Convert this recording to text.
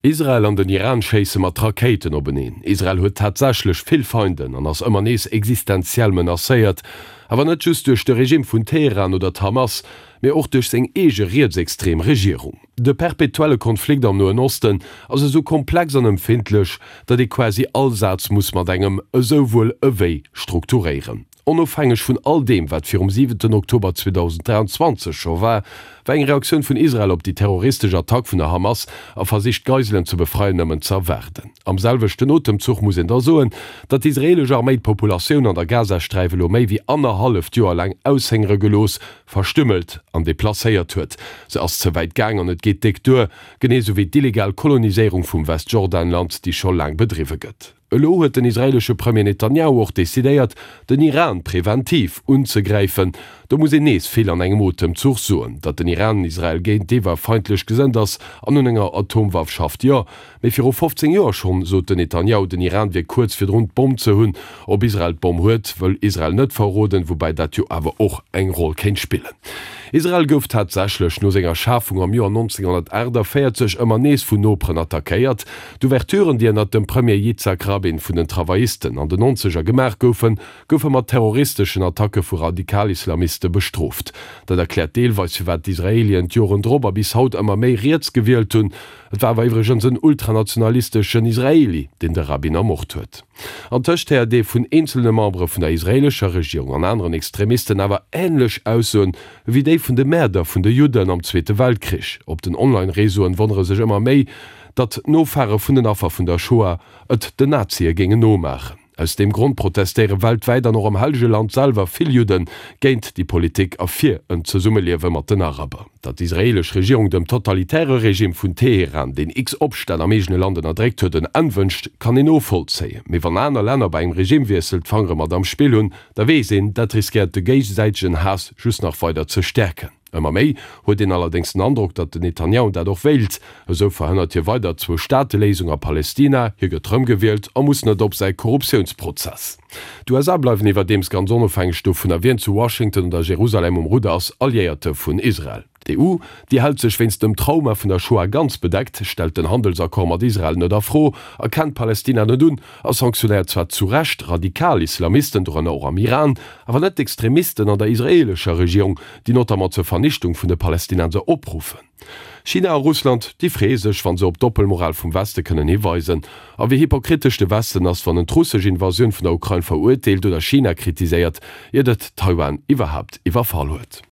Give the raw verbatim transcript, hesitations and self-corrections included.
Israel an den Iran schéisse mat Rakéiten openeen. Israel huet tatsächlech vill Feinden an ass ëmmer nees existenziell menacéiert, awer net just duerch de Regime vun Teheran oder d'Hamas, mee och duerch seng eege rietsextrem Regierung. De perpetuelle Konflikt am Noen Osten ass esou komplex an empfindlech, datt ee quasi all Saz muss mat engem esouwuel ewéi strukturéieren. Onofhängeg vun all deem, wat virum siwenten Oktober zweedausenddräianzwanzeg scho war, war eng Reaktioun vun Israel op déi terroristesch Attack vun der Hamas a Versich d'Geiselen ze befreien nëmmen ze erwaarden. Am selwechten Otemzuch muss een da soen, datt d'israelesch Arméi d'Populatioun an der Gazasträif elo méi wéi annerhalleft Joer laang aushëngere gelooss, verstümmelt an deplacéiert huet. Se ass ze wäit gaang an et geet déck duer, genee sou wéi d'illegal Koloniséierung vum Westjordanland, déi scho laang bedriwwe gëtt. Elo huet den israeelesche Premier Netanjahu och decidéiert, den Iran preventiv unzegräifen. Do muss een nees vill an engem Otemzuch soen. Datt den Iran Israel géintiwwer feindlech gesënnt ass an un enger Atomwaff schafft, jo. Mee viru fofzéng Joer schonn sot den Netanjahu, den Iran wier kuerz virdrun d'Bomm ze hunn. Ob Israel d'Bomm huet, wëll Israel net verroden, woubäi dat jo awer och eng Roll kéint spillen. Israel gouf tatsächlech no senger Schafung am Joer nonzénghonnertaachtavéierzeg ëmmer nees vun Noperen attackéiert. D'Ouverturen, déi ënnert dem Premier Yitzhak Rabin vun den Travaillisten an den Nonzeger gemaach goufen, goufe mat terroristeschen Attacke vu Radikalislamiste bestrooft. Dat erkläert deelweis, firwat d'Israelien d'Joren drop a bis haut ëmmer méi riets gewielt hunn. Et war awer iwwregens en ultranationalisteschen Israeli, deen de Rabin ermort huet. Antëscht héiert ee vun eenzelne Membere vun der israeelescher Regierung an aneren Extremisten awer änlech Aussoen ewéi déi vun de Mäerder vun de Judden am Zweete Weltkrich. Op den Online-Réseauen wonnere sech ëmmer méi, datt d'Nofahre vun den Affer vun der Shoah et den Nazie géingen nomaachen. Aus deem Grond protestéiere weltwäit an och am Hellege Land selwer vill Judde géint déi Politik a fir en Zesummeliewe mat den Araber. Datt d'israeelesch Regierung dem totalitäre Regime vun Teheran, deen x Opstänn am eegene Land ënnerdréckt huet, en Enn wënscht, kann een novollzéien. Mee wann aner Länner bei engem Regimewiessel d'Fangere mat am Spill hunn, da weess een, dat riskéiert de géigesäitegen Haass just nach weider ze stäerken. Ëmmer méi huet een allerdéngs den Androck, datt den Netanjahu dat och wéilt. Esou verhënnert hie weider d'Zwou-Staate-Léisung a Palestina, hie gëtt rëmgewielt a muss net op säi Korruptiounsprozess. D'USA bleiwen iwwerdeems ganz onofhängeg dovunner, wien zu Washington oder Jerusalem um Rudder ass, Alliéierte vun Israel. D'EU, déi hält sech wéinst dem Trauma vun der Shoah ganz bedeckt, stellt den Handelsaccord mat Israel net a Fro, erkennt Palestina net un a sanktionéiert zwar zu Recht radikal Islamisten, dorënner och am Iran, awer net d'Extremisten an der israeelescher Regierung, déi notamment zur Vernichtung vun de Palestinenser opruffen. China a Russland, déi freeë sech, wa se op d'Doppelmoral vum Weste kënnen hiweisen. A wéi hypokritesch de Westen ass, wann en d'russesch Invasioun vun der Ukrain verurteelt oder China kritiséiert, iert et Taiwan iwwerhaapt iwwerfall huet.